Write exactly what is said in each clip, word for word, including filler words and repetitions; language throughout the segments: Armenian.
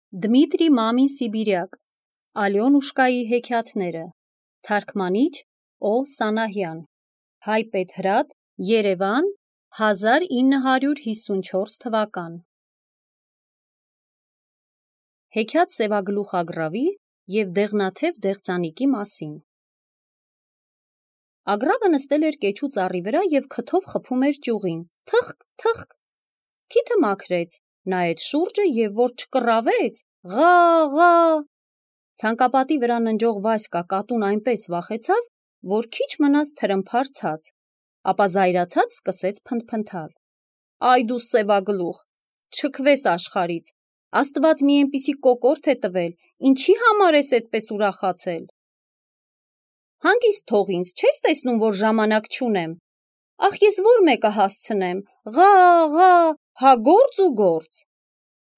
Դմիտրի Մամին Սիբիրյակ, Ալյոնուշկայի հեքիաթները, թարգմանիչ Օ. Սանահյան, Հայ Պետհրատ, Երևան, հազար ինը հարյուր հիսունչորս թվական։ Հեքիաթ Սևագլուխ Ագռավի և Դեղնաթև Դեղձանիկի մասին։ Ագռավը նստել էր կեչու ծառի վրա և քթով խփում էր ճյուղին, թխկ, թխկ, քիթը մաքրեց, նայեց շուրջը և որ չկռավեց, ղա, ղա։ Ցանկապատի վրա ննջող Վասկա կատուն այնպես վախեցավ, որ քիչ մնաց թրմփար ցած, ապա զայրացած սկսեց փնթփնթալ. Այ դու Սևագլուխ, չքվես աշխարհից, Աստված մի այնպիսի կոկորդ է տվել, ինչի համար ես այդպես ուրախացել։ Հանգիստ թող ինձ, չես տեսնում, որ ժամանակ չունեմ, ախ ես որ մեկը հասցնեմ, ղա, ղա, հա գործ ու գործ։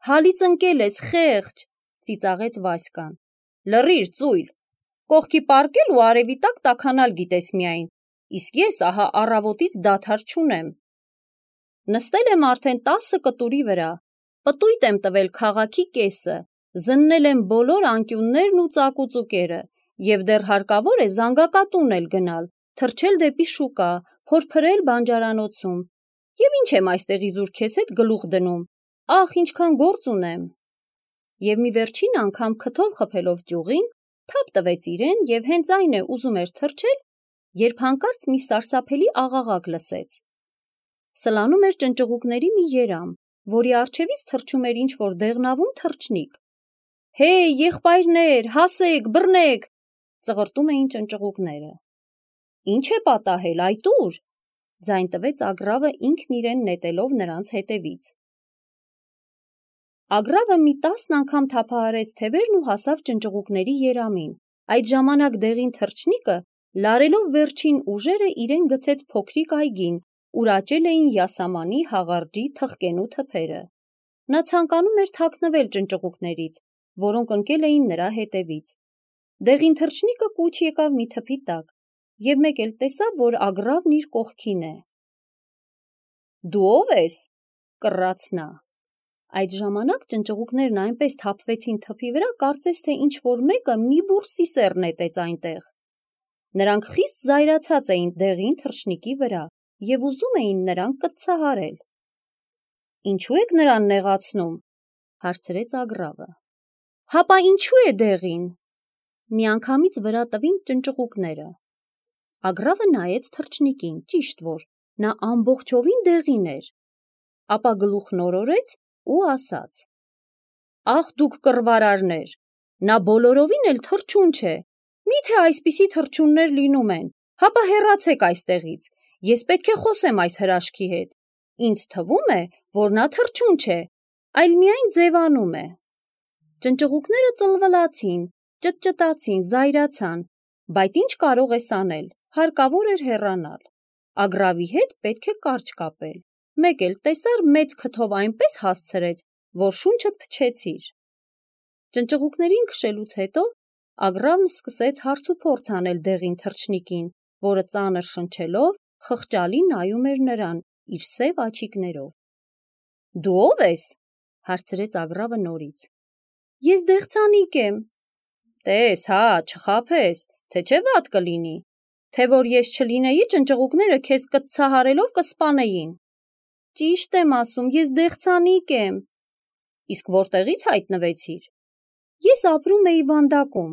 Հալից ընկել ես, խեղճ, ծիծաղեց Վասկան, լռիր ծույլ, կողքի պառկել ու արևի տակ տաքանալ գիտես միայն, իսկ ես ահա առավոտից դադար չունեմ։ Նստել եմ արդեն տասը կտուրի վրա, պտույտ եմ տվել քաղաքի կեսը, զննել եմ բոլոր անկյուններն ու ծակուծուկերը, և դեռ հարկավոր է զանգակատուն էլ գնալ, թռչել դեպի շուկա, փորփրել բանջարանոցում, և ինչ եմ այստեղ իզուր քեզ հետ գլուխ դնում, ախ ինչքան գործ ունեմ։ Եվ մի վերջին անգամ քթով խփելով ճյուղին, թափ տվեց իրեն և հենց այն է ուզում էր թռչել, երբ հանկարծ մի սարսափելի աղաղակ լսեց։ Սլանում էր ճնճղուկների մի երամ, որի առջևից թռչում էր ինչ-որ դեղնավուն թռչնիկ։ Հեյ, եղբայրներ, հասեք, բռնեք, ծղրտում էին ճնճղուկները։ Ինչ է պատահել, այդ ուր, ձայն տվեց Ագռավը ինքն իրեն նետելով նրանց հետևից։ Ագռավը մի տասն անգամ թափահարեց թևերն ու հասավ ճնճղուկների երամին։ Այդ ժամանակ դեղին թռչնիկը, լարելով վերջին ուժերը, իրեն գցեց փոքրիկ այգին, ուր աճել էին յասամանի, հաղարջի, թխկենու թփերը։ Նա ցանկանում էր թաքնվել ճնճղուկներից, որոնք ընկել էին նրա հետևից։ Դեղին թռչնիկը կուչ եկավ մի թփի տակ, և մեկ էլ տեսավ, որ Ագռավն իր կողքին է։ Դու ո՞վ ես, կռաց նա։ Այդ ժամանակ ճնճղուկներն այնպես թափվեցին թփի վրա, կարծես թե ինչ-որ մեկը մի բուռ սիսեռ նետեց այնտեղ։ Նրանք խիստ զայրացած էին դեղին թռչնիկի վրա և ուզում էին նրան կծցահարել։ Ինչու եք նրան նեղացնում, հարցրեց Ագռավը։ Հապա ինչու է դեղին, միանգամից վրա տվին ճնճղուկները։ Ագռավը նայեց թռչնիկին, ճիշտ որ, նա ամբողջովին դեղին էր, ապա գլուխն օրորեց ու ասաց. Ախ դուք կռվարարներ, նա բոլորովին էլ թռչուն չէ, միթե այսպիսի թռչուններ լինում են, հապա հեռացեք այստեղից, ես պետք է խոսեմ այս հրաշքի հետ, ինձ թվում է, որ նա թռչուն չէ, այլ միայն ձևանում է։ Ճնճղուկները ծլվլացին, ճտճտացին, զայրացան, բայց ինչ կարող ես անել, հարկավոր էր հեռանալ։ Ագռավի հետ պետք է կարճ կապել, մեկ էլ տեսար մեծ քթով այնպես հասցրեց, որ շունչդ փչեցիր։ Ճնճղուկներին քշելուց հետո Ագռավն սկսեց հարց ու փորձ անել դեղին թռչնիկին, որը ծանր շնչելով խղճալի նայում էր նրան իր սև աչիկներով։ Դու ո՞վ ես, հարցրեց Ագռավը նորից։ Ես դեղձանիկ եմ։ Տես, հա, չխաբես, թե չէ վատ կլինի, թե որ ես չլինեի, ճնճղուկները քեզ կծցահարելով կսպանեին։ Ճիշտ եմ ասում, ես դեղձանիկ եմ։ Իսկ որտեղից հայտնվեցիր։ Ես ապրում էի Վանդակում։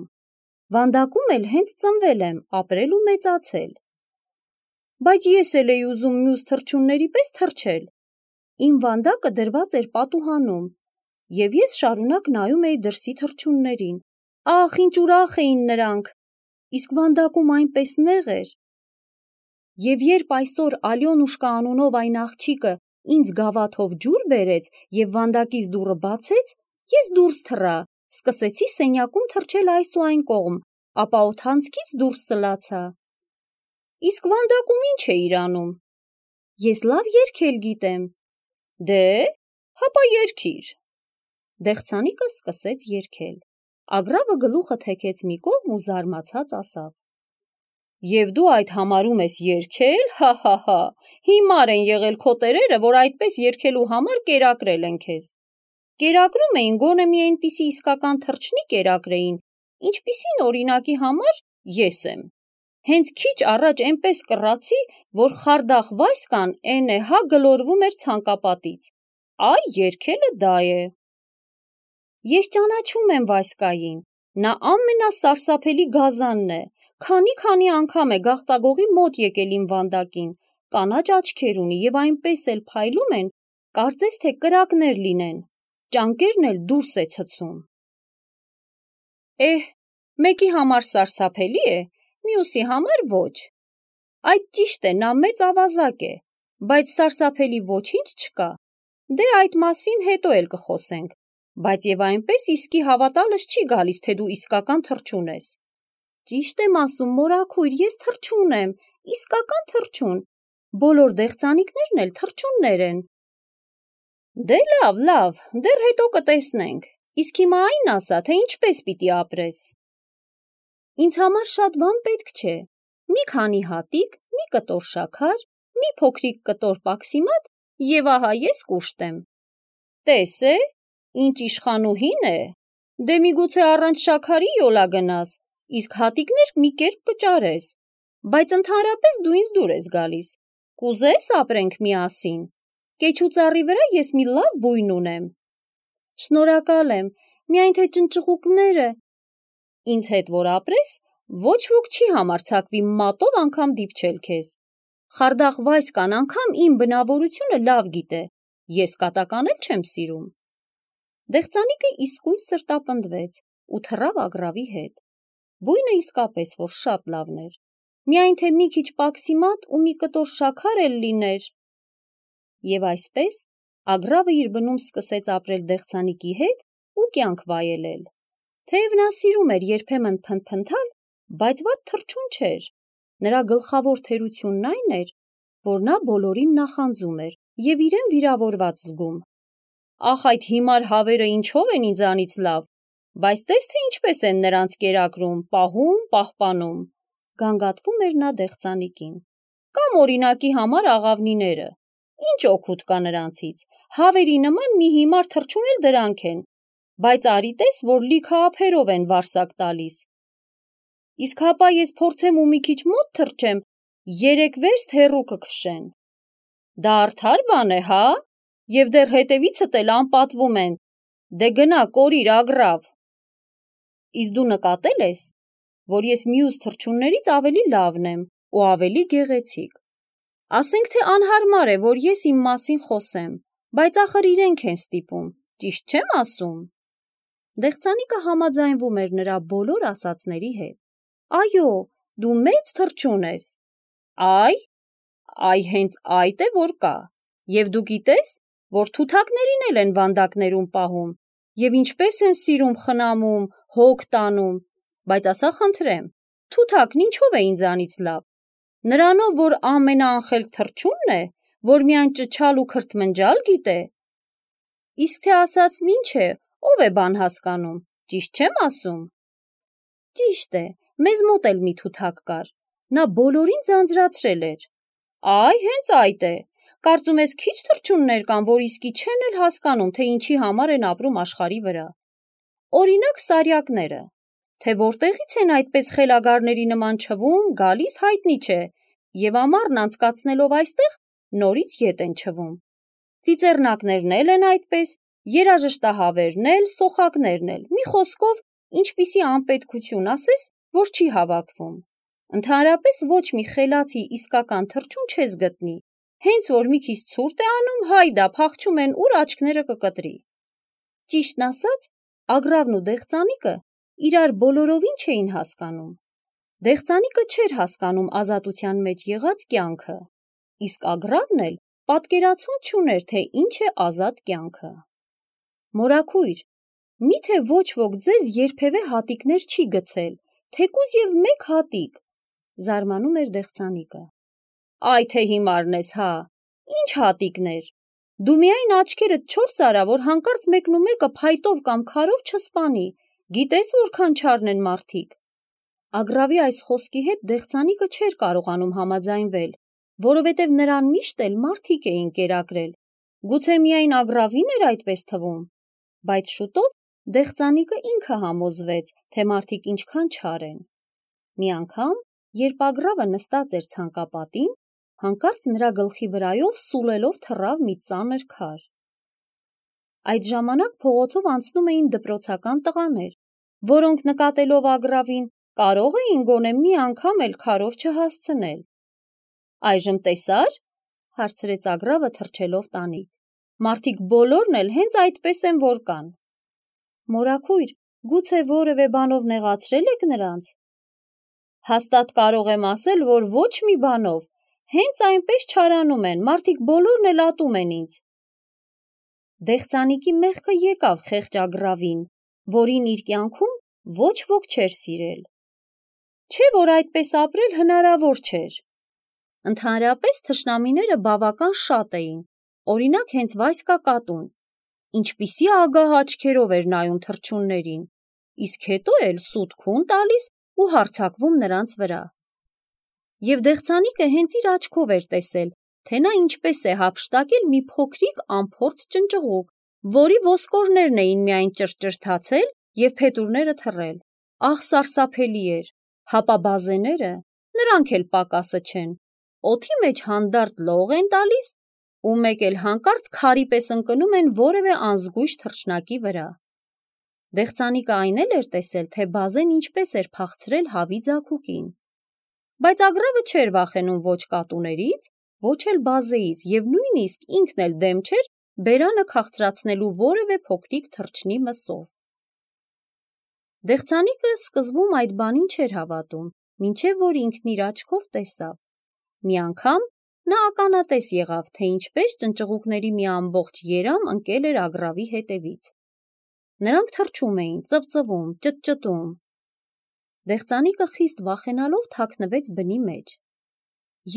Վանդակում էլ հենց ծնվել եմ, ապրել ու մեծացել։ Բայց ես էլ էի ուզում մյուս թռչունների պես թռչել։ Իմ վանդակը դրված էր պատուհանում, և ես շարունակ նայում էի դրսի թռչուններին։ Ախ, ինչ ուրախ էին նրանք, իսկ վանդակում այնպես նեղ էր։ Եվ երբ այսօր Ալյոնուշկա անունով այն աղջիկը ինձ գավաթով ջուր բերեց և վանդակից դուռը բացեց, ես դուրս թռա, սկսեցի սենյակում թռչել այս ու այն կողմ, ապա օդանցքից դուրս սլացա։ Իսկ վանդակում ինչ էիր անում։ Ես լավ երգել գիտեմ։ Դե, հապա երգիր։ Դեղձանիկը սկսեց երգել։ Ագռավը գլուխը թեքեց մի կողմ ու զարմացած ասավ. Եվ դու այդ համարում ես երգել, հա, հա, հա, հիմար են եղել քո տերերը, որ այդպես երգելու համար կերակրել են քեզ։ կերակրում էին գոնե մի այնպիսի իսկական թռչնի կերակրեին, ինչպիսին օրինակի համար ես եմ։ Հենց քիչ առաջ այնպես կռացի, որ խարդախ Վասկան էնե հա գլորվում էր ցանկապատից։ Այ երգելը դա է։ Ես ճանաչում եմ Վասկային, նա ամենասարսափելի գազանն է, քանի-քանի անգամ է գաղտագողի մոտ եկել իմ վանդակին, կանաչ աչքեր ունի և այնպես էլ փայլում են, կարծես թե կրակներ լինեն, ճանկերն էլ դուրս է ցցում։ Էհ, մեկի համար սարսափելի է, մյուսի համար ոչ։ Այդ ճիշտ է, նա մեծ ավազակ է, բայց սարսափելի ոչինչ չկա։ Դե այդ մասին հետո էլ կխոսենք, բայց և այնպես իսկի հավատալս չի գալիս, թե դու իսկական թռչուն ես։ Ճիշտ եմ ասում, մորաքույր, ես թռչուն եմ, իսկական թռչուն, բոլոր դեղձանիկներն էլ թռչուններ են։ Դե լավ, լավ, դեռ հետո կտեսնենք, իսկ հիմա այն ասա, թե ինչպես պիտի ապրես։ Ինձ համար շատ բան պետք չէ, մի քանի հատիկ, մի կտոր շաքար, մի փոքրիկ կտոր պաքսիմատ և ահա ես կուշտ եմ։ Տես է, ինչ իշխանուհին է, դե միգուցե առանց շաքարի յոլա գնաս, իսկ հատիկներ մի կերպ կճարես, բայց ընդհանրապես դու ինձ դուր ես գալիս, կուզես ապրենք միասին, կեչու ծառի վրա ես մի լավ բույն ունեմ։ Շնորհակալ եմ, միայն թե ճնճղուկները։ Ինձ հետ որ ապրես, ոչ ոք չի համարձակվի մատով անգամ դիպչել քեզ։ Խարդախ Վասկան անգամ իմ բնավորությունը լավ գիտե, ես կատական էլ չեմ սիրում։ Դեղձանիկը իսկույն սրտապնդվեց ու թռավ Ագռավի հետ։ Բույնը իսկապես որ շատ լավն էր, միայն թե մի քիչ պաքսիմատ ու մի կտոր շաքար էլ լիներ։ Եվ այսպես Ագռավը իր բնում սկսեց ապրել դեղձանիկի հետ ու կյանք վայելել։ Թեև նա սիրում էր երբեմն փնթփնթալ, բայց վատ թռչուն չէր։ Նրա գլխավոր թերությունն այն էր, որ նա բոլորին նախանձում էր և իրեն վիրավորված զգում։ Ախ, այդ հիմար հավերը ինչով են ինձանից լավ, բայց տես թե ինչպես են նրանց կերակրում, պահում, պահպանում, գանգատվում էր նա դեղձանիկին։ Կամ օրինակի համար աղավնիները, ինչ օգուտ կա նրանցից, հավերի նման մի հիմար թռչուն էլ դրանք են, բայց արի տես, որ լիքը ափերով են վարսակ տալիս։ Իսկ հապա ես փորձեմ ու մի քիչ մոտ թռչեմ, երեք վերստ հեռու կքշեն։ Դա արդար բան է, հա, և դեռ հետևիցդ էլ անպատվում են, դե գնա կորիր Ագռավ։ Իսկ դու նկատել ես, որ ես մյուս թռչուններից ավելի լավն եմ ու ավելի գեղեցիկ։ Ասենք թե անհարմար է, որ ես իմ մասին խոսեմ, բայց ախր իրենք են ստիպում, ճիշտ չեմ ասում։ Դեղձանիկը համաձայնվում էր նրա բոլոր ասածների հետ։ Այո, դու մեծ թռչուն ես։ Այ, այ հենց այդ է, որ կա։ Եվ դու գիտես, որ թութակներին էլ են վանդակներում պահում, և ինչպես են սիրում խնամում, հոգ տանում, բայց ասա խնդրեմ, թութակն ինչով է ինձանից լավ։ Նրանով, որ ամենաանխելք թռչունն է, որ միայն ճչալ ու քրթմնջալ գիտե։ Իսկ թե ասածն ինչ է, ով է բան հասկանում, ճիշտ չեմ ասում։ Ճիշտ է, մեզ մոտ էլ մի թութակ կար, նա բոլորին ձանձրացրել էր։ Այ հենց այդ է, կարծում ես քիչ թռչուններ կան, որ իսկի չեն էլ հասկանում, թե ինչի համար են ապրում աշխարհի վրա։ Օրինակ սարյակները, թե որտեղից են այդպես խելագարների նման չվում, գալիս հայտնի չէ, և ամառն անցկացնելով այստեղ, նորից ետ են չվում։ Ծիծեռնակներն էլ են այդպես, երաժշտահավերն էլ, սոխակներն էլ, մի խոսքով, ինչպիսի անպետքություն ասես, որ չի հավաքվում։ Ընդհանրապես ոչ մի խելացի իսկական թռչուն չես գտնի, հենց որ մի քիչ ցուրտ է անում, հայդա փախչում են, ուր աչքները կկտրի։ Ճիշտն ասած, Ագռավն ու դեղձանիկը իրար բոլորովին չէին հասկանում։ Դեղձանիկը չէր հասկանում ազատության մեջ եղած կյանքը, իսկ Ագռավն էլ պատկերացում չուներ, թե ինչ է ազատ կյանքը։ Մորաքույր, միթե ոչ ոք ձեզ երբևէ հատիկներ չի գցել, թեկուզ և մեկ հատիկ, զարմանում էր դեղձանիկը։ Այ թե հիմարն ես, հա, ինչ հատիկներ, դու միայն աչքերդ չորս արա, որ հանկարծ մեկնումեկը փայտով կամ քարով չսպանի, գիտես որքան չարն են մարդիկ։ Ագռավի այս խոսքի հետ դեղձանիկը չէր կարողանում համաձայնվել, որովհետև նրան միշտ էլ մարդիկ էին կերակրել, գուցե միայն Ագռավին էր այդպես թվում։ Բայց շուտով դեղծանիկը ինքը համոզվեց, թե մարդիկ ինչքան չար են։ Մի անգամ, երբ Ագրավը նստած էր ցանկապատին, հանկարծ նրա գլխի վրայով սուլելով թռավ մի ծանր քար։ Այդ ժամանակ փողոցով անցնում էին դպրոցական տղաներ, որոնք նկատելով Ագրավին, կարող էին գոնե մի անգամ էլ քարով չհասցնել։ Այժմ տեսա՞ր, հարցրեց Ագրավը թռչելով տանիք։ Մարդիկ բոլորն էլ հենց այդպես են որ կան։ Մորաքույր, գուցե որևէ բանով նեղացրել եք նրանց։ Հաստատ կարող եմ ասել, որ ոչ մի բանով, հենց այնպես չարանում են, մարդիկ բոլորն էլ ատում են ինձ։ Դեղծանիկի մեղքը եկավ խեղճ Ագրավին, որին իր կյանքում ոչ ոք չէր սիրել։ Չէ՞ որ այդպես ապրել հնարավոր չէր։ Ընդհանրապես թշնամիները բավական շատ էին, օրինակ հենց Վասկա կատուն, ինչպիսի ագահ աչքերով էր նայում թռչուններին, իսկ հետո էլ սուտ քուն տալիս ու հարձակվում նրանց վրա։ Եվ դեղծանիկը հենց իր աչքով էր տեսել, թե նա ինչպես է հափշտակել մի փոքրիկ անփորձ ճնճղուկ, որի ոսկորներն էին միայն ճրճրթացել և փետուրները թռել։ Ահ, սարսափելի էր, հապա բազեները, նրանք էլ պակասը չեն, օդի մեջ հանդարտ լող են տալիս ու մեկ էլ հանկարծ քարի պես ընկնում են որևէ անզգույշ թռչնակի վրա։ Դեղծանիկը այն էլ էր տեսել, թե բազեն ինչպես էր փախցրել հավի ձագուկին։ Բայց Ագրավը չէր վախենում ոչ կատուներից, ոչ էլ բազեից և նույնիսկ ինքն էլ դեմ չէր բերանը քաղցրացնելու որևէ փոքրիկ թռչնի մսով։ Դեղծանիկը սկզբում այդ բանին չէր հավատում, մինչև որ ինքն իր աչքով տեսավ։ Մի անգամ նա ականատես եղավ, թե ինչպես ճնճղուկների մի ամբողջ երամ ընկել էր Ագրավի հետևից։ Նրանք թռչում էին, ծվծվում, ճտճտում։ Դեղծանիկը խիստ վախենալով թաքնվեց բնի մեջ։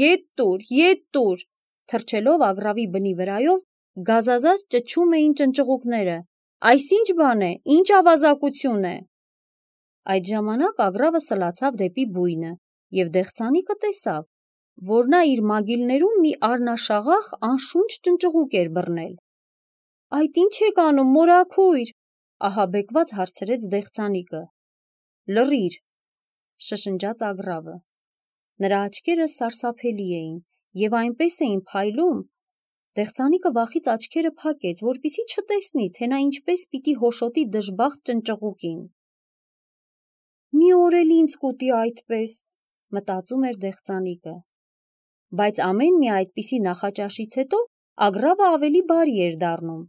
Ետ տուր, ետ տուր, թռչելով Ագրավի բնի վրայով, գազազած ճչում էին ճնճղուկները. Այս ինչ բան է, ինչ ավազակություն է։ Այդ ժամանակ Ագրավը սլացավ դեպի բույնը, և դեղծանիկը տեսավ, որ նա իր մագիլներում մի առնաշաղախ անշունչ ճնճղուկ էր բռնել։ Այդ ինչ եք անում, մորաքույր, ահաբեկված հարցրեց դեղծանիկը։ Լռիր, շշնջաց Ագրավը։ Նրա աչքերը սարսափելի էին և այնպես էին փայլում, դեղծանիկը վախից աչքերը փակեց, որպեսզի չտեսնի, թե նա ինչպես պիտի հոշոտի դժբախտ ճնճղուկին։ Մի օր էլ ինձ կուտի այդպես, մտածում էր դեղծանիկը։ Բայց ամեն մի այդպիսի նախաճաշից հետո Ագրավը ավելի բարի էր դառնում,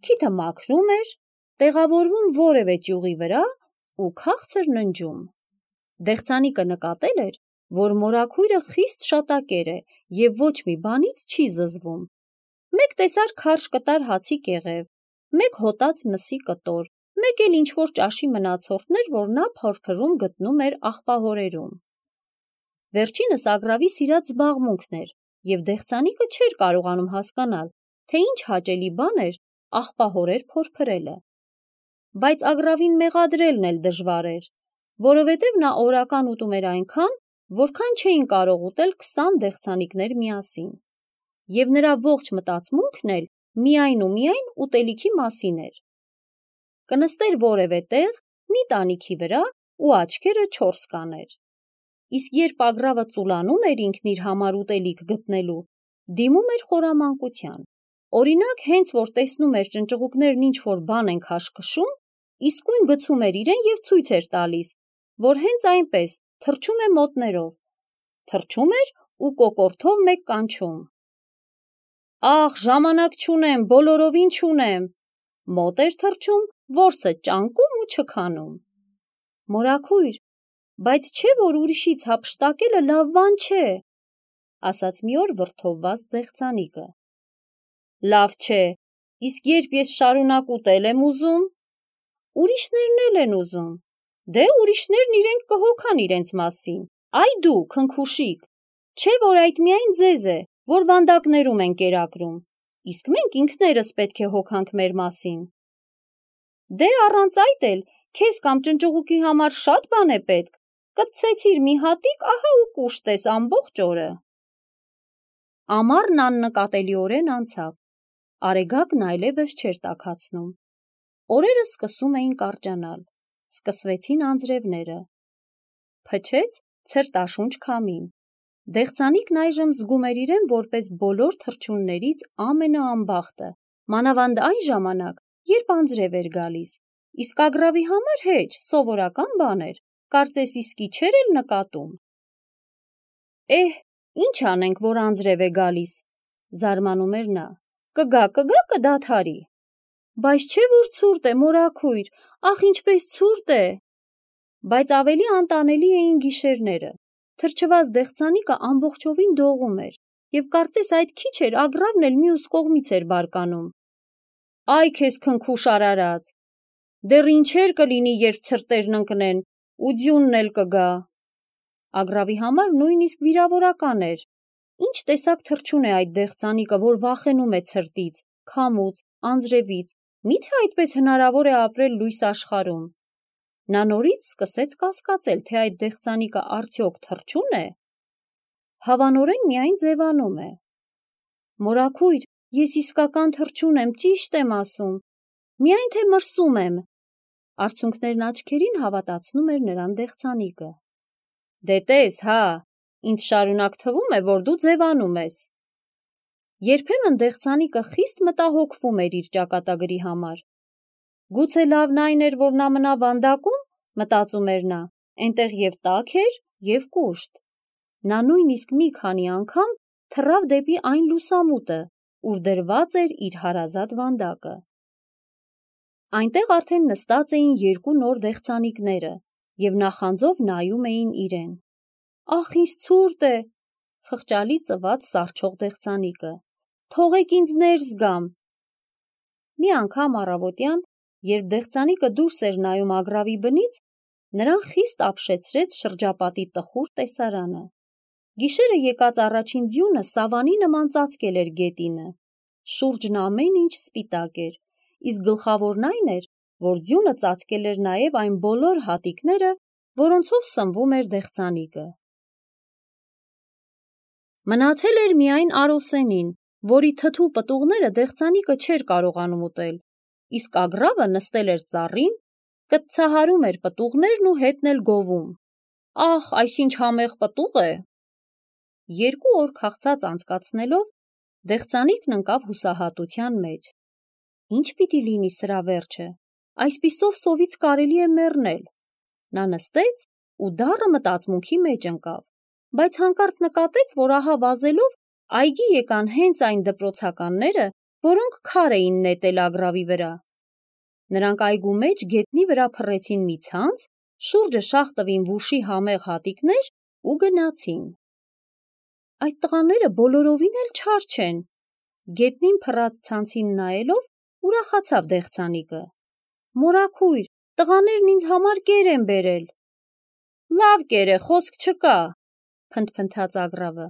քիթը մաքրում էր, տեղավորվում որևէ ճյուղի վրա ու քաղցր ննջում։ Դեղծանիկը նկատել էր, որ մորաքույրը խիստ շատակեր է և ոչ մի բանից չի զզվում։ Մեկ տեսար քարշ կտար հացի կեղև, մեկ հոտած մսի կտոր, մեկ էլ ինչ-որ ճաշի մնացորդներ, որ նա փորփրում գտնում էր աղբահորերում։ Վերջինս Ագրավի սիրած զբաղմունքն էր, և դեղծանիկը չէր կարողանում հասկանալ, թե ինչ հաճելի բան էր աղբահորեր փորփրելը։ Բայց Ագրավին մեղադրելն էլ դժվար էր, որովհետև նա օրական ուտում էր այնքան, որքան չէին կարող ուտել քսան դեղծանիկներ միասին, և նրա ողջ մտածմունքն էլ միայն ու միայն ուտելիքի մասին էր։ Կնստեր որևէ տեղ, մի տանիքի վրա ու աչքերը չորս կաներ։ Իսկ երբ Ագրավը ծուլանում էր ինքն իր համար ուտելիք գտնելու, դիմում էր խորամանկության։ Օրինակ, հենց որ տեսնում էր ճնճղուկներն ինչ-որ բան են քաշքշում, իսկույն գցում էր իրեն և ցույց էր տալիս, որ հենց այնպես թռչում է մոտներով, թռչում էր ու կոկորդով մեկ կանչում. Ախ, ժամանակ չունեմ, բոլորովին չունեմ, մոտ էր թռչում, որսը ճանկում ու չքանում։ Մորաքույր, բայց չէ՞ որ ուրիշից հափշտակելը լավ բան չէ, ասաց մի օր վրդովված դեղծանիկը։ Լավ չէ, իսկ երբ ես շարունակ ուտել եմ ուզում, ուրիշներն էլ են ուզում, դե ուրիշներն իրենք կհոգան իրենց մասին, այ դու, քնքուշիկ, չէ՞ որ այդ միայն ձեզ է, որ վանդակներում են կերակրում, իսկ մենք ինքներս պետք է հոգանք մեր մասին։ Դե առանց այդ էլ քեզ կամ ճնճղուկի համար շատ բան է պետք, կպցեցիր մի հատիկ, ահա ու կուշտ ես ամբողջ օրը։ Ամառն աննկատելիորեն անցավ, արեգակն այլևս չէր տաքացնում։ Օրերը սկսում էին կարճանալ, սկսվեցին անձրևները։ Փչեց ցրտաշունչ քամին։ Դեղցանիկն այժմ զգում էր իրեն որպես բոլոր թռչուններից ամենաանբախտը, մանավանդ այն ժամանակ, երբ անձրև էր գալիս, իսկ ագռավի համար հեչ, սովորական բան էր, կարծես իսկի չէր էլ նկատում։ Էհ, ինչ անենք, որ անձրև է գալիս, զարմանում էր նա, կգա, կգա, կդադարի։ Բայց չէ որ ցուրտ է, մորաքույր, ախ ինչպես ցուրտ է։ Բայց ավելի անտանելի էին գիշերները։ Թրջված դեղցանիկը ամբողջովին դողում էր, և կարծես այդ քիչ էր ագռավն էլ մյուս կողմից էր բարկանում։ Այ քեզ քնքուշ արարած, դեռ ինչեր կլինի, երբ ցրտերն ընկնեն, ու ձյունն էլ կգա։ Ագռավի համար նույնիսկ վիրավորական էր։ Ինչ տեսակ թռչուն է այդ դեղցանիկը, որ վախենում է ցրտից, քամուց, անձրևից, միթե այդպես հնարավոր է ապրել լույս աշխարհում։ Նա նորից սկսեց կասկածել, թե այդ դեղցանիկը արդյոք թռչուն է։ Հավանորեն միայն ձևանում է։ Մորաքույր, ես իսկական թռչուն եմ, ճիշտ եմ ասում, միայն թե մրսում եմ։ Արցունքներն աչքերին հավատացնում էր նրան դեղցանիկը։ Դե տես, հա, ինձ շարունակ թվում է, որ դու ձևանում ես։ Երբեմն դեղցանիկը խիստ մտահոգվում էր իր ճակատագրի համար։ Գուցե լավն այն էր, որ նա մնա վանդակում, մտածում էր նա, այնտեղ և տաք էր, և կուշտ։ Նա նույնիսկ մի քանի անգամ թռավ դեպի այն լուսամուտը, ուր դրված էր իր հարազատ վանդակը։ Այնտեղ արդեն նստած էին երկու նոր դեղցանիկները և նախանձով նայում էին իրեն։ Ախ, ինձ ցուրտ է, խղճալի ծվաց սառչող դեղցանիկը։ Թողեք ինձ ներս գամ։ Մի անգամ առավոտյան, երբ դեղցանիկը դուրս էր նայում ագռավի բնից, նրան խիստ ապշեցրեց շրջապատի տխուր տեսարանը։ Գիշերը եկած առաջին ձյունը սավանի նման ծածկել էր գետինը։ Շուրջն ամեն ինչ սպիտակ էր, իսկ գլխավորն այն էր, որ ձյունը ծածկել էր նաև այն բոլոր հատիկները, որոնցով սնվում էր դեղցանիկը։ Մնացել էր միայն Արոսենին, որի թթու պտուղները դեղցանիկը չէր կարողանում ուտել, իսկ ագռավը նստել էր ծառին, կտցահարում էր պտուղներն ու հետն էլ գովում։ Ախ, այս ինչ համեղ պտուղ է։ Երկու օր քաղցած անցկացնելով, դեղցանիկն ընկավ հուսահատության մեջ։ Ինչ պիտի լինի սրա վերջը, այսպիսով սովից կարելի է մեռնել։ Նա նստեց ու դառը մտածմունքի մեջ ընկավ, բայց հանկարծ նկատեց, որ ահա վազելով այգի եկան հենց այն դպրոցականները, որոնք քար էին նետել ագռավի վրա։ Նրանք այգու մեջ գետնի վրա փռեցին մի ցանց, շուրջը շաղ տվին վուշի համեղ հատիկներ ու գնացին։ Այդ տղաները բոլորովին էլ չար չեն։ Գետնին փռած ցանցին նայելով ուրախացավ դեղցանիկը։ Մորաքույր, տղաներն ինձ համար կեր են բերել։ Լավ կեր է, խոսք չկա, փնթփնթաց ագռավը։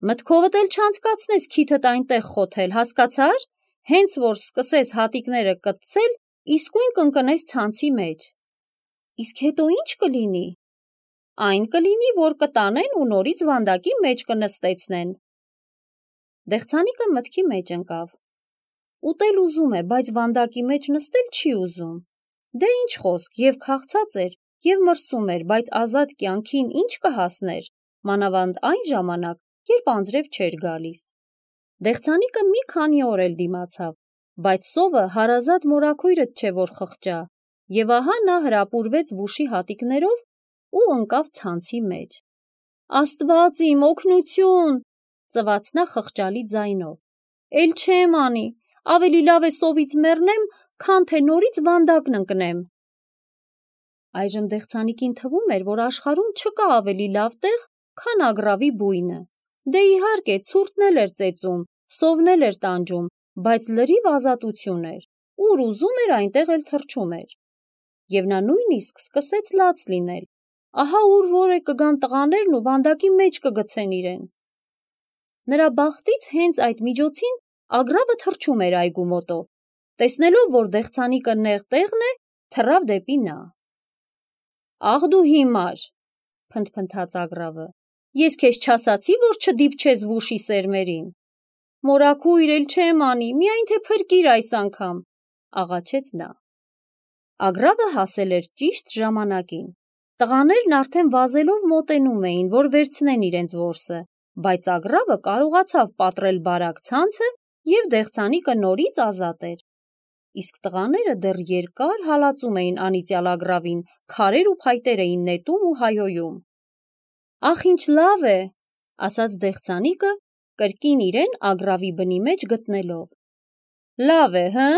Մտքովդ էլ չանցկացնես քիթդ այնտեղ խոթել, հասկացար, հենց որ սկսես հատիկները կտցել, իսկույն կընկնես ցանցի մեջ։ Իսկ հետո ինչ կլինի։ Այն կլինի, որ կտանեն ու նորից վանդակի մեջ կնստեցնեն։ Դեղցանիկը մտքի մեջ ընկավ։ Ուտել ուզում է, բայց վանդակի մեջ նստել չի ուզում։ Դե ինչ խոսք, և քաղցած էր, և մրսում էր, բայց ազատ կյանքին ինչ կհասներ, մանավանդ այն ժամանակ, երբ անձրև չէր գալիս։ Դեղցանիկը մի քանի օր էլ դիմացավ, բայց սովը հարազատ մորաքույրդ չէ, որ խղճա, և ահա նա հրապուրվեց վուշի հատիկներով ու ընկավ ցանցի մեջ։ Աստված իմ, օգնություն, ծվաց նա խղճալի ձայնով։ Էլ չեմ անի, ավելի լավ է սովից մեռնեմ, քան թե նորից վանդակն ընկնեմ։ Այժմ դեղցանիկին թվում էր, որ աշխարհում չկա ավելի լավ տեղ, քան ագռավի բույնը։ Դե իհարկե, ցուրտն էլ էր ծեծում, սովն էլ էր տանջում, բայց լրիվ ազատություն էր, ուր ուզում էր այնտեղ էլ թռչում էր։ Եվ նա նույնիսկ սկսեց լաց լինել, ահա ուր որ է կգան տղաներն ու վանդակի մեջ կգցեն իրեն։ Նրա բախտից հենց այդ միջոցին ագռավը թռչում էր այգու մոտով, տեսնելով, որ դեղցանիկը նեղ տեղն է, թռավ դեպի նա։ Աղ դու հիմար, փնթփնթաց ագռավը, ես քեզ չասացի, որ չդիպչես վուշի սերմերին։ Մորաքույր, էլ չեմ անի, միայն թե փրկիր այս անգամ։ աղաչեց նա։ Ագռավը հասել էր ճիշտ ժամանակին։ Տղաներն արդեն վազելով մոտենում էին, որ վերցնեն իրենց որսը, բայց ագռավը կարողացավ պատռել բարակ ցանցը և դեղցանիկը նորից ազատ էր։ Իսկ տղաները դեռ երկար հալածում էին անիծյալ ագռավին, քարեր ու փայտեր էին նետում ու հայհոյում։ «Ախ, ինչ լավ է», ասաց դեղցանիկը, կրկին իրեն ագռավի բնի մեջ գտնելով։ «Լավ է, հը՞,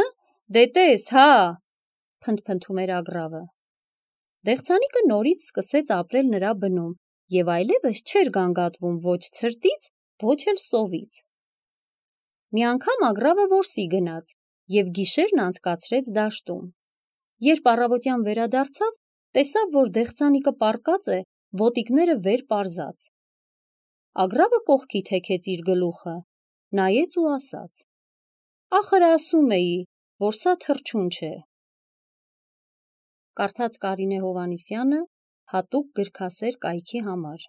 դե տես, հա», փնթփնթում էր ագռավը։ Դեղցանիկը նորից սկսեց ապրել նրա բնում և այլևս չէր գանգատվում ոչ ցրտից, ոչ էլ սովից։ Մի անգամ ագռավը որսի գնաց և գիշերն անցկացրեց դաշտում։ Երբ առավոտյան վերադարձավ, տեսավ, որ դեղցանիկը պառկած է, ոտիկները վեր պարզած։ Ագռավը կողքի թեքեց իր գլուխը, նայեց ու ասաց. «Ախր ասում էի, որ սա թռչուն չէ»։ Կարդաց Կարինե Հովհաննիսյանը հատուկ գրքասեր կայքի համար։